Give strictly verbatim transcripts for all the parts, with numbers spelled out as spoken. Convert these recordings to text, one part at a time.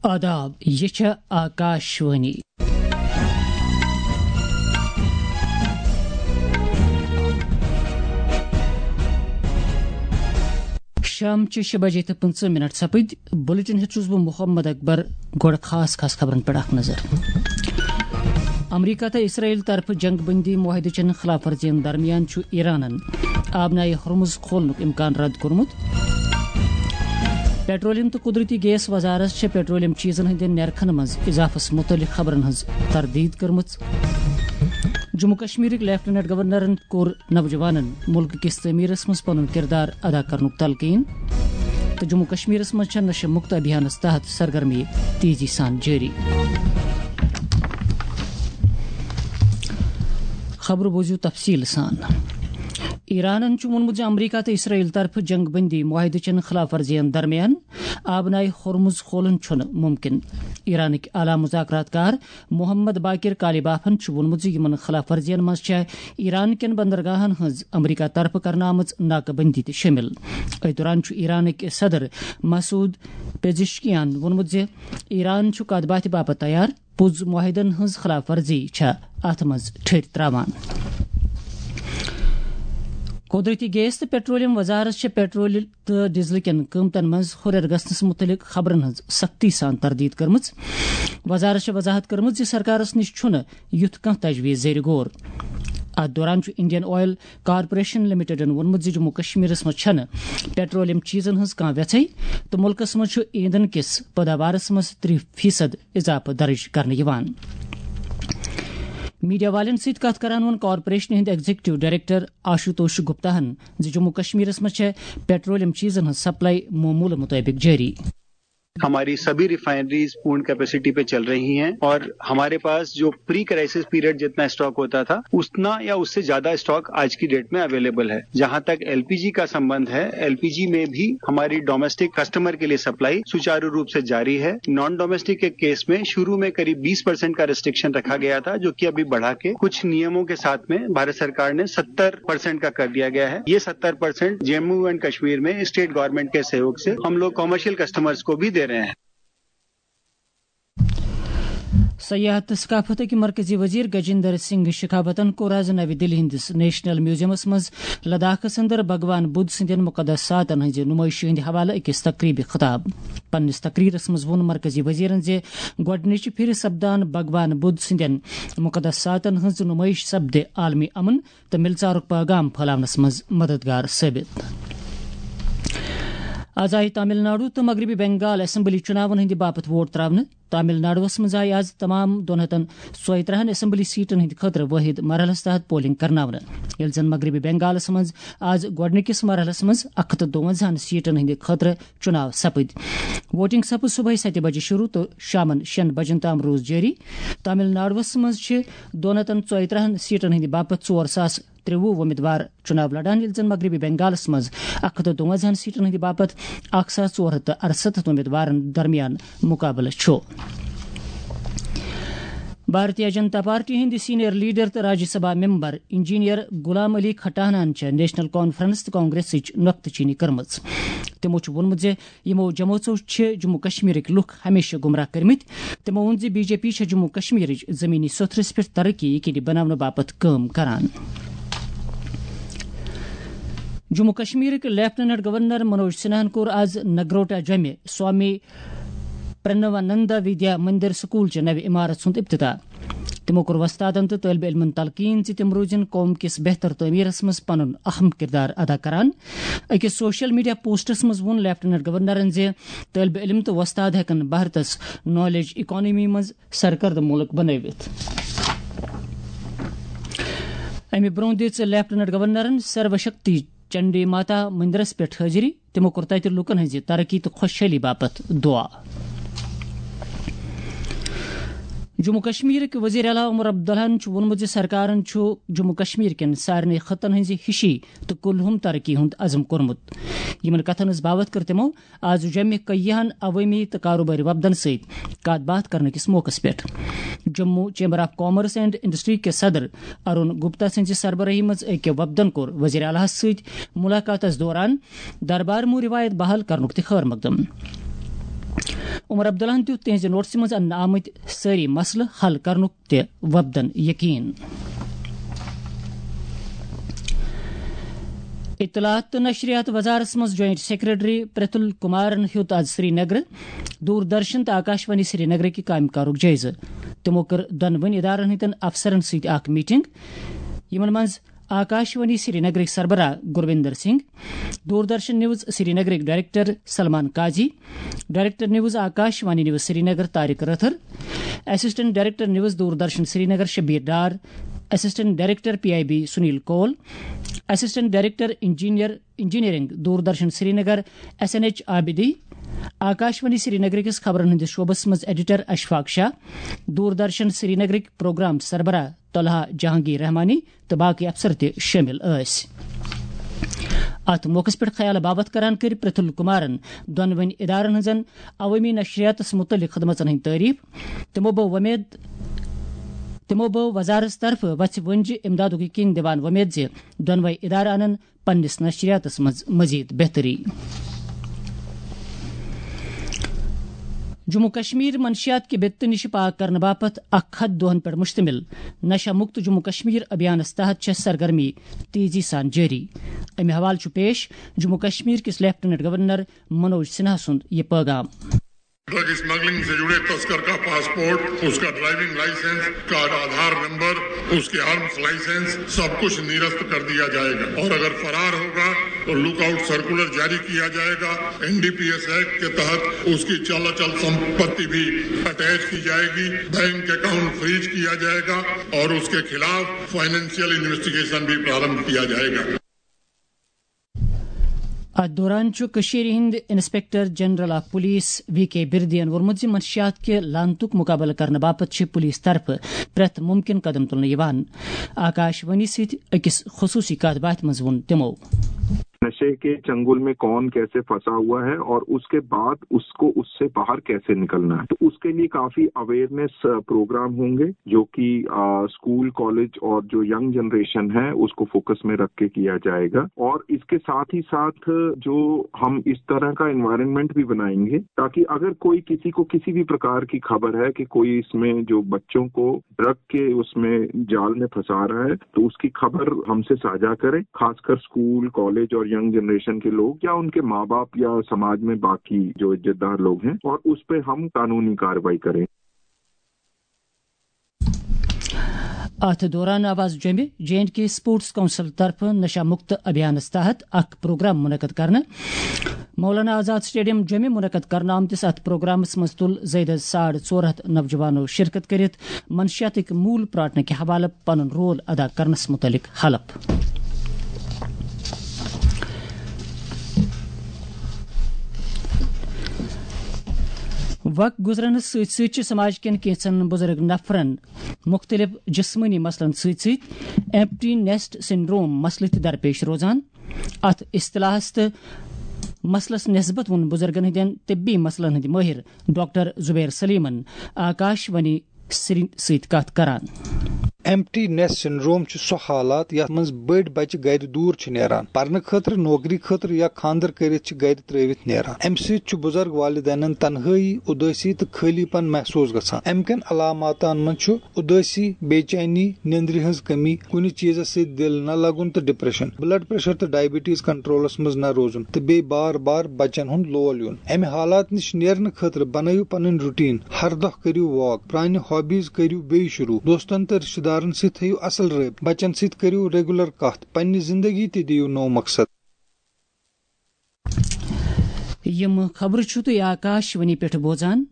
آداب، یہِ چھےٚ آکاشوانی۔ شام چہِ شےٚ بجے تہٕ پٕنٛژٕہ منٹ سپٕدۍ۔ بُلٹن ہیٚتھ چھُس بہٕ محمد اکبر۔ گۄڈٕ خاص خاص خبرن پٮ۪ٹھ اکھ نظر۔ امریکہ تہٕ اسرائیل طرفہٕ جنگ بندی معاہدٕ چٮ۪ن خلاف ورزین درمیان چھُ ایرانن آبنائے ہرمز کھولنُک امکان رد کوٚرمُت۔ پیٹرولیم تہٕ قدرتی گیس وزارت چھےٚ پیٹرولیم چیزن ہٕنٛدٮ۪ن نرخن منٛز اضافس متعلق خبرن ہٕنٛز تردید کٔرمٕژ۔ جموں کشمیرٕکۍ لیفٹیننٹ گورنرن کوٚر نوجوانن ملکہٕ کِس تعمیرس منٛز پنُن کردار ادا کرنُک تلقین۔ تہٕ جموں کشمیرس منٛز چھےٚ نشہٕ مکت ابھیانس تحت سرگرمی تیزی سان جٲری۔ خبرٕ بوٗزِو تفصیٖل سان۔ ایرانن چھُ ووٚنمُت زِ امریکہ تہٕ اسرائیل طرفہٕ جنگ بندی معاہدٕ چٮ۪ن خلاف ورزین درمیان آبنائے ہرمز کھولُن چھُنہٕ ممکن۔ ایرانٕکۍ اعلیٰ مذاکرات کار محمد باقر کالیبافن چھُ ووٚنمُت زِ یِمن خلاف ورزین منٛز چھےٚ ایران کٮ۪ن بندرگاہن ہٕنٛز امریکہ طرفہٕ کرنہٕ آمٕژ ناکہ بندی تہِ شٲمِل۔ أتھۍ دوران چھُ ایرانٕکۍ صدر مسعود پزشکیان ووٚنمُت زِ ایران چھُ کتھ باتھِ باپتھ تیار، پُز معاہدن ہٕنٛز خلاف ورزی چھےٚ اتھ منٛز ٹھٔرۍ تراوان۔ قدرتی گیس تہٕ پیٹرولیم وزارت چھےٚ پیٹرول تہٕ ڈیزل کٮ۪ن قۭمتن منٛز ہُرٮ۪ر گژھنس مُتعلق خبرن ہٕنٛز سختی سان تردید کٔرمٕژ۔ وزارت چھےٚ وضاحت کٔرمٕژ زِ سرکارس نِش چھُنہٕ یُتھ کانٛہہ تجویز زیر غور۔ اتھ دوران چھُ انڈین آئل کارپوریشن لمیٹڈن ووٚنمُت زِ جموں کشمیرس منٛز چھَنہٕ پیٹرولیم چیزن ہٕنٛز کانٛہہ وٮ۪ژھٕے تہٕ مُلکس منٛز چھُ ایندھن کِس پٲداوارس منٛز ترٛہ فیصد اضافہٕ درج کرنہٕ یِوان۔ میڈیا والٮ۪ن سۭتۍ کتھ کران ووٚن کارپوریشنہِ ہٕنٛدۍ ایگزیکٹو ڈائریکٹر آشوتوش گپتاہن زِ جموں کشمیرس منٛز چھےٚ پیٹرولیم چیزن ہٕنٛز سپلائی معمولہٕ مطٲبق جٲری۔ ہماری سبھی ریفائنریز پورن کیپیسٹی پہ چل رہی ہیں اور ہمارے پاس جو پری کرائسس پیریڈ جتنا اسٹاک ہوتا تھا، اتنا یا اس سے زیادہ اسٹاک آج کی ڈیٹ میں اویلیبل ہے۔ جہاں تک ایل پی جی کا سمبند ہے، ایل پی جی میں بھی ہماری ڈومیسٹک کسٹمر کے لیے سپلائی سچارو روپ سے جاری ہے۔ نان ڈومیسٹک کے کیس میں شروع میں قریب بیس پرسینٹ کا ریسٹرکشن رکھا گیا تھا، جو کہ ابھی بڑھا کے کچھ نیموں کے ساتھ میں بھارت سرکار نے ستر پرسینٹ کا کر دیا گیا ہے۔ یہ ستر پرسینٹ جموں اینڈ کشمیر میں اسٹیٹ گورنمنٹ کے سہیوگ سے ہم لوگ کمرشل کسٹمرز کو بھی دے رہے ہیں۔ سیاحت تہٕ ثقافتٕکۍ مرکزی وزیر گجیندر سنگھ شیخاوتن کوٚر آز نوِ دِلہِ ہٕنٛدِس نیشنل میوزیمس منٛز لداخس اندر بھگوان بدھ سٕنٛدٮ۪ن مقدساتن ہٕنٛزِ نُمٲیشہِ ہٕنٛدِ حوالہٕ أکِس تقریبہِ خطاب۔ پننِس تقریرس منٛز ووٚن مرکزی وزیرن زِ گۄڈٕنِچہِ پھِرِ سپدان بھگوان بدھ سٕنٛدٮ۪ن مقدساتن ہٕنٛز نُمٲیش سپدِ عالمی امن تہٕ مِلژارُک پیغام پھٲلاونس منٛز مددگار ثٲبت۔ آز آیہِ تامل ناڈو تہٕ مغربی بنگال اسمبلی چُناون ہٕنٛدِ باپتھ ووٹ تراونہٕ۔ تامل ناڈوَس منٛز آیہِ آز تمام دۄن ہَتَن ژۄیہِ ترٛہَن اسمبلی سیٹن ہٕنٛدِ خٲطرٕ وٲحد مرحلَس تحت پولنگ کرناونہٕ، ییٚلہِ زَن مغربی بنگالَس منٛز آز گۄڈٕنِکِس مرحلَس منٛز اَکھ ہَتھ تہٕ دُوَنزاہَن سیٹن ہٕنٛدِ خٲطرٕ چُناو سپٕدۍ۔ ووٹنگ سپٕز صبحٲے سَتہِ بجہِ شروع تہٕ شامَن شیٚن بجن تام روٗز جٲری۔ تامل ناڈوَس منٛز چھِ دۄن ہَتَن ژۄیہِ ترٛہَن سیٹن ہٕنٛدِ باپتھ ژور ساس ترٛوُہ وۄمیدوار چُناو لڑان، ییٚلہِ زَن مغربی بنگالَس منٛز اَکھ ہَتھ تہٕ دُوَنزاہَن سیٹن ہٕنٛدِ باپتھ اَکھ ساس ژور ہَتھ تہٕ اَرسَتتھ وۄمیدوارَن درمیان مُقابلہٕ چھُ۔ بھارتیہ جنتا پارٹی ہٕنٛدِ سینئر لیڈر تہٕ راجیہ سبھا ممبر انجینئر غلام علی کھٹانہن چھےٚ نیشنل کانفرنس تہٕ کانگریسٕچ نۄکتہٕ چینی کٔرمٕژ۔ تِمو چھُ ووٚنمُت زِ یِمو جمٲژو چھِ جموں کشمیرٕکۍ لُکھ ہمیشہٕ گمراہ کٔرمٕتۍ۔ تِمو ووٚن زِ بی جے پی چھےٚ جموں کشمیرٕچ زمینی سوٚتھرس پٮ۪ٹھ ترقی یقینی بناونہٕ باپتھ کٲم کران۔ جموں کشمیرٕکۍ لیفٹیننٹ گورنر منوج سنہاہن کوٚر آز نگروٹا جوٚمہِ سوامی پرنوانندا ودیا مندر سکول چہِ نوِ عمارت ہُنٛد افتتاح۔ تِمو کوٚر وۄستادن تہٕ طٲلبہِ علمن تلقین زِ تِم روٗزِن قوم کِس بہتر تعمیرس منٛز پنُن اہم کردار ادا کران۔ أکِس سوشل میڈیا پوسٹس منٛز ووٚن لیفٹیننٹ گورنرن زِ طٲلبہِ علم تہٕ وۄستاد ہٮ۪کن بھارتس نالیج اکانمی منٛز سرکردٕ مُلک بنٲوِتھ۔ امہِ برٛونٛہہ دِژ لیفٹیننٹ گورنرن سرو شکتی چنڈی ماتا مندرس پٮ۪ٹھ حٲضری۔ تِمو کوٚر تَتہِ لوٗکَن ہٕنٛزِ ترقی تہٕ خۄشحٲلی باپتھ دُعا۔ جموں کشمیرٕکۍ وزیر اعلیٰ عمر عبداللہَن چھُ ووٚنمُت زِ سرکارَن چھُ جموں کشمیر کٮ۪ن سارنٕے خطن ہٕنٛزِ ہِشی تہٕ کُلہُم ترقی ہُنٛد عزم کوٚرمُت۔ یِمَن کتھَن ہٕنٛز باوتھ کٔر تِمو آز جوٚمہِ کیاہَن عوٲمی تہٕ کاروبٲری وفدَن سۭتۍ کتھ باتھ کرنہٕ کِس موقعس پٮ۪ٹھ۔ Jammu chamber of commerce and industry کہِ صدر ارون گپتا سٕنٛزِ سربرٲہی منٛز أکۍ وفدَن کوٚر وزیر اعلیٰ ہَس سۭتۍ ملاقاتَس دوران دربار مو روایت بحال کرنُک تہِ خٲر مقدم۔ عمر عبداللہَن دیُت تِہنٛزِ نوٹسہِ منٛز اننہٕ آمٕتۍ سٲری مسلہٕ حل کرنُک تہِ وۄپدن یقین۔ اطلاعات تہٕ نشریات وزارتس منٛز جوائنٹ سیکرٹری پرتل کمارن ہیوٚت آز سری نگر دوردرشن تہٕ آکاشوانی سری نگرٕکہِ کامہِ کارُک جٲیزٕ۔ تِمو کٔر دۄنوٕنی ادارن ہٕنٛدٮ۪ن افسرن سۭتۍ اکھ میٹنگ، یِمن منٛز آکاشوانی سری نگرٕکۍ سربراہ گرویندر سنگھ، دوردرشن نیوز سری نگرٕکۍ director Salman Qazi, director news Akashvani news Srinagar Tariq Rather, assistant director news Doordarshan Srinagar Shabir Dar, assistant director P I B Sunil Koul, assistant director engineer engineering Doordarshan Srinagar S N H Abidi, Akashvani Srinagar کِس خبرن ہٕنٛدِس شعبس منٛز ایڈیٹر اشفاق شاہ، دوردرشن سری نگرٕکۍ پروگرام سربراہ طلحہ جہانگیر رحمانی تہٕ باقی افسر تہِ شٲمِل ٲسۍ۔ اتھ موقعس پٮ۪ٹھ خیال باوت کران کٔرۍ پرتل کمارن دۄنوٕنۍ ادارن ہٕنٛزن عوٲمی نشریاتس متعلق خدمژن ہٕنٛدۍ تعریف۔ تِمو بٲو وۄمید تِمو بٲو وزارتس طرفہٕ وژھِ ؤنجہِ امدادُک یقین دِوان وۄمید زِ دۄنوے ادارٕ انن پننِس نشریاتس منٛز مزید بہتری۔ جموں کشمیر منشیات کہِ بدتہٕ نِش پاک کرنہٕ باپتھ اکھ ہتھ دۄہن پٮ۪ٹھ مشتمل نشہ مکت جموں کشمیر ابھیانس تحت چھےٚ سرگرمی تیزی سان جٲری۔ امہِ حوالہٕ چھُ پیش جموں کشمیر کِس لیفٹیننٹ گورنر منوج سنہا سُنٛد یہِ پیغام۔ ڈرگ اسمگلنگ سے جڑے تسکر کا پاسپورٹ، اس کا ڈرائیونگ لائسنس، اس کا آدھار نمبر، اس کے آرمز لائسنس، سب کچھ نرست کر دیا جائے گا اور اگر فرار ہوگا تو لک آؤٹ سرکولر جاری کیا جائے گا۔ N D P S act کے تحت اس کی چل اچل سمپتی بھی اٹیچ کی جائے گی، بینک اکاؤنٹ فریز کیا جائے گا اور اس کے خلاف فائنینشیل انویسٹیگیشن بھی پرارمبھ کیا جائے گا۔ اتھ دوران چھُ کٔشیٖرِ ہٕنٛدۍ inspector general of police V K بردین ووٚنمُت زِ منشیات کہِ لعنتُک مقابلہٕ کرنہٕ باپتھ چھِ پولیس طرفہٕ پرٛٮ۪تھ ممکن قدم تُلنہٕ یِوان۔ آکاش وانی سۭتۍ أکِس خصوٗصی کتھ باتھِ منٛز ووٚن تِمو۔ نشے کے چنگل میں کون کیسے پھنسا ہوا ہے اور اس کے بعد اس کو اس سے باہر کیسے نکلنا ہے، تو اس کے لیے کافی اویئرنیس پروگرام ہوں گے جو کہ اسکول، کالج اور جو ینگ جنریشن ہے اس کو فوکس میں رکھ کے کیا جائے گا۔ اور اس کے ساتھ ہی ساتھ جو ہم اس طرح کا انوائرمنٹ بھی بنائیں گے تاکہ اگر کوئی کسی کو کسی بھی پرکار کی خبر ہے کہ کوئی اس میں جو بچوں کو ڈرگ کے اس میں جال میں پھنسا رہا ہے تو اس کی خبر ہم سے ساجھا کریں، خاص کر اسکول، کالج اور ینگ جنریشن کے لوگ یا ان کے ماں باپ یا سماج میں باقی جو عزت دار لوگ ہیں، اور اس پہ ہم قانونی کارروائی کریں۔ اتھ دوران آو از جوٚمہِ J and K sports council طرفہٕ نشہ مکت ابھیانس تحت اکھ پروگرام منعقد کرنہٕ۔ مولانا آزاد سٹیڈیم جوٚمہِ منعقد کرنہٕ آمتِس اتھ پروگرامس منٛز تُل زٲیدٕ ساڑ ژور ہتھ نوجوانو شرکت کٔرِتھ منشیاتٕکۍ موٗل پراٹنہٕ کہِ حوالہٕ پنُن رول ادا کرنس متعلق حلف۔ وق گزرنس سۭتۍ سۭتۍ چھِ سماج کٮ۪ن کینٛژن بُزرگ نفرن مُختٔلِف جسمٲنی مسلن سۭتۍ سۭتۍ ایمپٹی نیسٹ سنڈروم مسلہٕ تہِ درپیش روزان۔ اتھ اصطلاحس تہٕ مسلس نسبت ووٚن بُزرگن ہٕنٛدٮ۪ن طبی مسلن ہٕنٛدۍ مٲہِر ڈاکٹر زبیر سلیمن آکاش وانی سری سۭتۍ کتھ کران۔ ایمپٹی نیسٹ سنڈروم چھُ سُہ حالات یتھ منٛز بٔڑۍ بچہِ گرِ دوٗر چھِ نیران، پرنہٕ خٲطرٕ، نوکری خٲطرٕ یا خانٛدر کٔرِتھ چھِ گرِ ترٲوِتھ نیران۔ امہِ سۭتۍ چھُ بُزرگ والدینن تنہٲئی، اُدٲسی تہٕ خٲلی پن محسوس گژھان۔ امہِ کٮ۪ن علاماتن منٛز چھُ اُدٲسی، بے چینی، نیندرِ ہٕنٛز کمی، کُنہِ چیزس سۭتۍ دِل نہ لگُن تہٕ ڈپریشن، بلڈ پریشر تہٕ ڈائبٹیز کنٹرولس منٛز نہ روزُن تہٕ بیٚیہِ بار بار بچن ہُنٛد لول یُن۔ امہِ حالات نِش نیرنہٕ خٲطرٕ بنٲیِو پنٕنۍ روٹین۔ ہر دۄہ کٔرِو واک، پرانہِ ہابیز کٔرِو بیٚیہِ شروع، دوستن تہٕ رشتہٕ دارن سۭتۍ تھٲیِو اصل رٲبطہٕ، بچن سۭتۍ کٔرِو ریگولر کتھ، پننہِ زندگی تہِ دِیِو نوٚو مقصد۔ یِم خبرٕ چھِو تُہۍ آکاش وانی پٮ۪ٹھ بوزان۔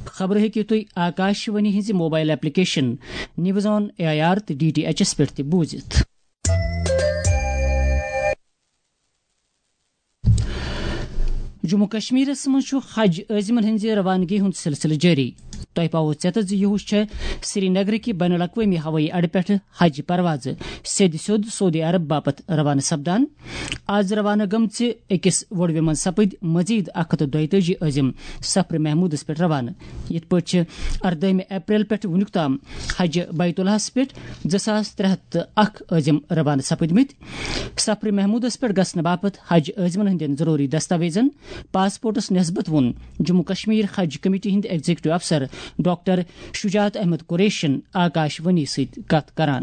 خبرٕ ہیٚکِو تُہۍ آکاش وانی ہٕنٛزِ mobile application news on A I R تہٕ ڈی ٹی ایچ ایس پٮ۪ٹھ تہِ بوٗزِتھ۔ جموں کشمیرس منٛز چھُ حج عٲزمن ہٕنٛزِ روانگی ہُنٛد سلسلہٕ جٲری۔ تۄہہِ پاوو ژٮ۪تس زِ یِہُس چھےٚ سری نگرٕکہِ بین الاقوٲمی ہوٲیی اڈٕ پٮ۪ٹھٕ حج پروازٕ سیٚدِ سیوٚد سعودی عرب باپتھ روانہٕ سپدان۔ از روانہٕ گٔمژِ أکِس وۄڑوِ منٛز سپٕدۍ مزید اکھ ہتھ تہٕ دۄیتٲجی عٲزم سفرِ محمودس پٮ۪ٹھ روانہٕ۔ یِتھ پٲٹھۍ چھِ اردٲہمہِ اپریل پٮ۪ٹھ وُنیُک تام حج بیت اللہس پٮ۪ٹھ زٕ ساس ترٛےٚ ہتھ تہٕ اکھ عٲزم روانہٕ سپٕدمٕتۍ۔ سفرِ محمودس پٮ۪ٹھ گژھنہٕ باپتھ حج عٲزمن ہٕنٛدٮ۪ن ضروٗری دستاویزن، پاسپورٹس نسبت ووٚن جموں کشمیر حج کمیٹی ہٕنٛدۍ ایگزیکٹو افسر ڈاکٹر شجاعت احمد قریشن آکاش وانی سۭتۍ کتھ کران۔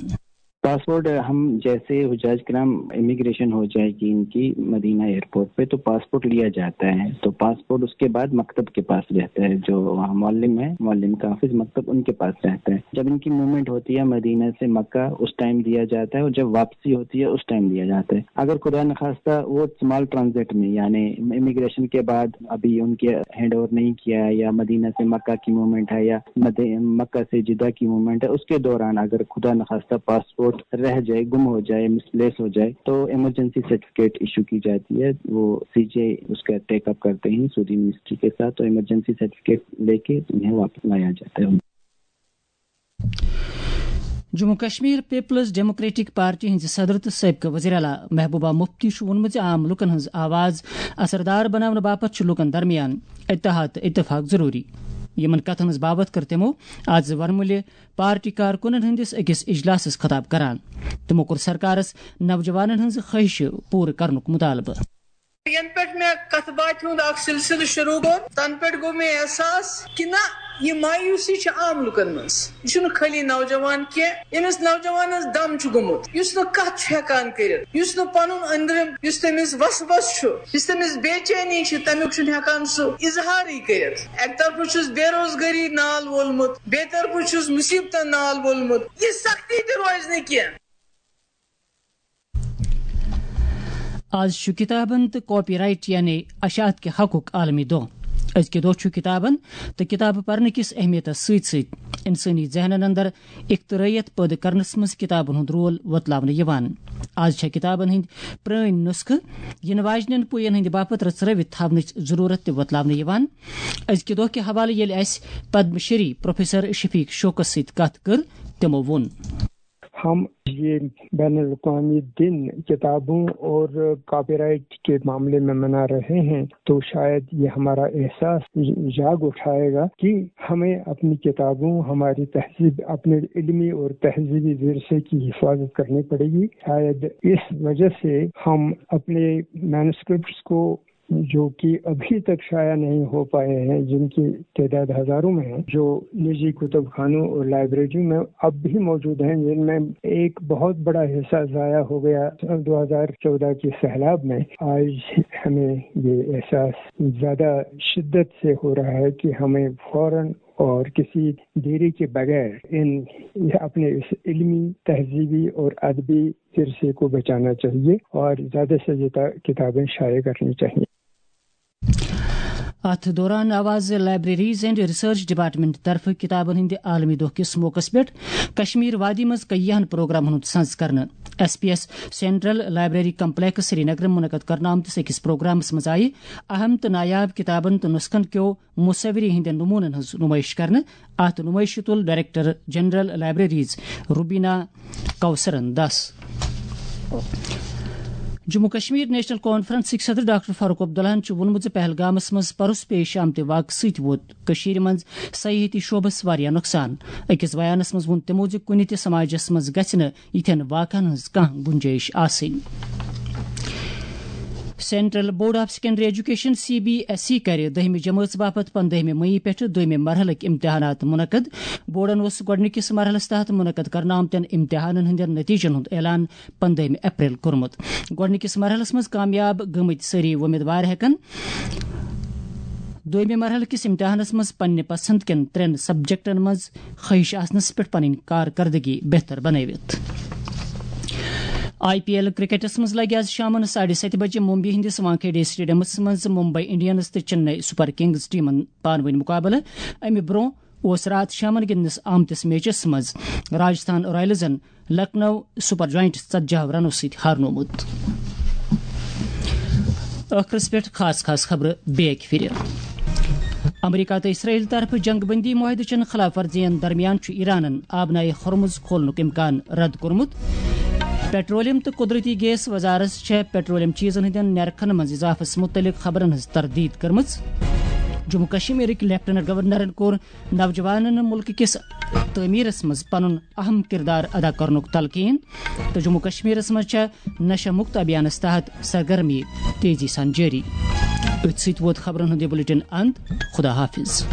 پاسپورٹ ہم جیسے حجاج کرام امیگریشن ہو جائے گی ان کی مدینہ ایئرپورٹ پہ، تو پاسپورٹ لیا جاتا ہے، تو پاسپورٹ اس کے بعد مکتب کے پاس رہتا ہے، جو وہاں معلم ہے، معلم کا آفس مکتب ان کے پاس رہتا ہے۔ جب ان کی موومنٹ ہوتی ہے مدینہ سے مکہ، اس ٹائم دیا جاتا ہے، اور جب واپسی ہوتی ہے اس ٹائم دیا جاتا ہے۔ اگر خدا نخواستہ وہ اسمال ٹرانزٹ میں، یعنی امیگریشن کے بعد ابھی ان کے ہینڈ اوور نہیں کیا ہے، یا مدینہ سے مکہ کی موومنٹ ہے، یا مد-، مکہ سے جدہ کی موومنٹ ہے، اس کے دوران اگر خدا نخواستہ پاسپورٹ رہ جائے، گم ہو جائے، مسپلیس ہو جائے، تو ایمرجنسی سرٹیفکیٹ ایشو کی جاتی ہے۔ وہ سی جے اس کا ٹیک اپ کرتے ہیں سعودی منسٹری کے ساتھ، تو ایمرجنسی سرٹیفکیٹ لے کے انہیں واپس لایا جاتا ہے۔ Jammu Kashmir peoples democratic party ہٕنٛزِ صدر تہٕ سٲبقہٕ وزیر اعلیٰ محبوبہ مفتی چھُ ووٚنمُت زِ عام لوٗکن ہٕنٛز آواز اثردار بناونہٕ باپتھ چھُ لوٗکن درمیان اتحاد تہٕ اتفاق ضروٗری۔ یِمن کتھن ہٕنٛز باوتھ کٔر تِمو آز ورمُلہِ پارٹی کارکُنن ہٕنٛدِس أکِس اجلاسس خطاب کران۔ تِمو کوٚر سرکارس نوجوانن ہٕنٛز خٲہِشہٕ پوٗرٕ کرنُک مطالبہٕ۔ ینہٕ پٮ۪ٹھ مےٚ کتھ باتھِ ہُنٛد اکھ سلسلہٕ شروع کوٚر، تنہٕ پٮ۪ٹھ گوٚو مےٚ احساس کہِ نہ، یہِ مایوسی چھِ عام لُکن منٛز۔ یہِ چھُنہٕ خٲلی نوجوان کینٛہہ، ییٚمِس نوجوانس دم چھُ گوٚمُت، یُس نہٕ کتھ چھُ ہٮ۪کان کٔرِتھ، یُس نہٕ پنُن أنٛدرِم، یُس تٔمِس وسوس چھُ، یُس تٔمِس بے چینی چھِ، تمیُک چھُنہٕ ہٮ۪کان سُہ اظہارٕے کٔرِتھ۔ اکہِ طرفہٕ چھُس بے روزگٲری نال وولمُت، بیٚیہِ طرفہٕ چھُس مُصیبتن نال وولمُت۔ یہِ سختی تہِ روزِ نہٕ کینٛہہ۔ آز چھُ کتابن تہٕ کاپی رائٹ یعنی اشاعت کہِ حقُک عالمی دۄہ۔ أزکہِ دۄہ چھُ کتابن تہٕ کتابہٕ پرنہٕ کِس اہمیتس سۭتۍ سۭتۍ انسٲنی ذہنن اندر اخترٲعیت پٲدٕ کرنس منٛز کتابن ہُنٛد رول وۄتلاونہٕ یِوان۔ آز چھےٚ کتابن ہٕنٛدۍ پرٲنۍ نسخہٕ یِنہٕ واجنٮ۪ن پُیَن ہٕنٛدِ باپتھ رژھرٲوِتھ تھاونٕچ ضروٗرت تہِ وۄتلاونہٕ یِوان۔ أزکہِ دۄہ کہِ حوالہٕ ییٚلہِ اَسہِ پدم شری پروفیسر شفیق شوقس سۭتۍ کتھ کٔر، تِمو ووٚن۔ ہم یہ بین الاقوامی دن کتابوں اور کاپی رائٹ کے معاملے میں منا رہے ہیں، تو شاید یہ ہمارا احساس جاگ اٹھائے گا کہ ہمیں اپنی کتابوں، ہماری تہذیب، اپنے علمی اور تہذیبی ورثے کی حفاظت کرنی پڑے گی۔ شاید اس وجہ سے ہم اپنے مینوسکرپٹس کو، جو کہ ابھی تک شائع نہیں ہو پائے ہیں، جن کی تعداد ہزاروں میں ہے، جو نجی کتب خانوں اور لائبریریوں میں اب بھی موجود ہیں، جن میں ایک بہت بڑا حصہ ضائع ہو گیا سن دو ہزار چودہ کے سیلاب میں۔ آج ہمیں یہ احساس زیادہ شدت سے ہو رہا ہے کہ ہمیں فوراً اور کسی دیری کے بغیر ان اپنے اس علمی، تہذیبی اور ادبی ورثے کو بچانا چاہیے اور زیادہ سے زیادہ کتابیں شائع کرنی چاہیے۔ اتھ دوران آو آز لائبریریز اینڈ ریسرچ ڈپارٹمنٹ طرفہٕ کتابن ہٕنٛدِ عالمی دۄہ کِس موقعس پٮ۪ٹھ کشمیر وادی منٛز کیہن پروگرامن ہُنٛد سنز کرنہٕ۔ S P S central library complex Srinagar منعقد کرنہٕ آمتِس أکِس پروگرامس منٛز آیہِ اہم تہٕ نایاب کتابن تہٕ نسخن کیو مصوری ہٕنٛدٮ۪ن نمونن ہٕنٛز نمٲیش کرنہٕ۔ اتھ نمٲیشہِ تُل ڈائریکٹر جنرل لائبریریز روبینا کوثرن دس۔ جموں کشمیر نیشنل کانفرنسٕکۍ صدر ڈاکٹر فاروق عبداللہن چھُ ووٚنمُت زِ پہلگامس منٛز پرُس پیش آمتہِ واقعہٕ سۭتۍ ووت کٔشیٖرِ منٛز سیاحتی شعبس واریاہ نۄقصان۔ أکِس بیانس منٛز ووٚن تِمو زِ کُنہِ تہِ سماجس منٛز گژھِ نہٕ یِتھٮ۪ن واقعن ہٕنٛز کانٛہہ گُنجٲیِش آسٕنۍ۔ Central board of secondary education, C B S E, کرِ دٔہمہِ جمٲژ باپتھ پندٲہمہِ مئی پٮ۪ٹھٕ دوٚیمہِ مرحلٕکۍ امتحانات منعقد۔ بورڈن اوس گۄڈٕنِکِس مرحلس تحت منعقد کرنہٕ آمتٮ۪ن امتحانن ہٕنٛدٮ۪ن نتیجن ہُنٛد اعلان پندٲہمہِ اپریل کوٚرمُت۔ گۄڈٕنِکِس مرحلس منٛز کامیاب گٔمٕتۍ سٲری وۄمیدوار ہٮ۪کن دوٚیمہِ مرحلہٕ کِس امتحانس منٛز پننہِ پسند کٮ۪ن ترٛٮ۪ن سبجیکٹن منٛز خٲہِش آسنس پٮ۪ٹھ پنٕنۍ کارکردگی بہتر بنٲوِتھ۔ آئی پی ایل کرکٹس منٛز لگہِ آز شامن ساڑِ ستہِ بجہِ ممبئی ہٕنٛدِس وانکھیڑے اسٹیڈیمس منٛز ممبئی انڈینز تہٕ چنئی سپر کنگز ٹیمن پانہٕ وٲنۍ مقابلہٕ۔ امہِ برونٛہہ اوس راتھ شامن گِنٛدنس آمتِس میچس منٛز راجستھان رائلزن لکھنؤ سپر جائنٹس ژتجی رنو سۭتۍ ہارنومُت۔ ٲخرس پٮ۪ٹھ خاص خاص خبرٕ بیٚیہِ اکہِ پھِرِ۔ امریکہ تہٕ اسرائیل طرفہٕ جنگ بندی معاہدٕ چٮ۪ن خلاف ورزین درمیان چھُ ایرانن آبنائے ہرمز کھولنُک امکان رد کوٚرمُت۔ پیٹرولیم تہٕ قدرتی گیس وزارت چھےٚ پیٹرولیم چیزن ہٕنٛدٮ۪ن نرخن منٛز اضافس متعلق خبرن ہٕنٛز تردید کٔرمٕژ۔ جموں کشمیرٕکۍ لیفٹیننٹ گورنرن کوٚر نوجوانن ملکہٕ کِس تعمیرس منٛز پنُن اہم کردار ادا کرنُک تلقین۔ تہٕ جموں کشمیرس منٛز چھےٚ نشہ مکت ابھیانس تحت سرگرمی تیزی سان جٲری۔ أتھۍ سۭتۍ ووت خبرن ہُنٛد یہِ بلیٹن اند۔ خدا حافظ۔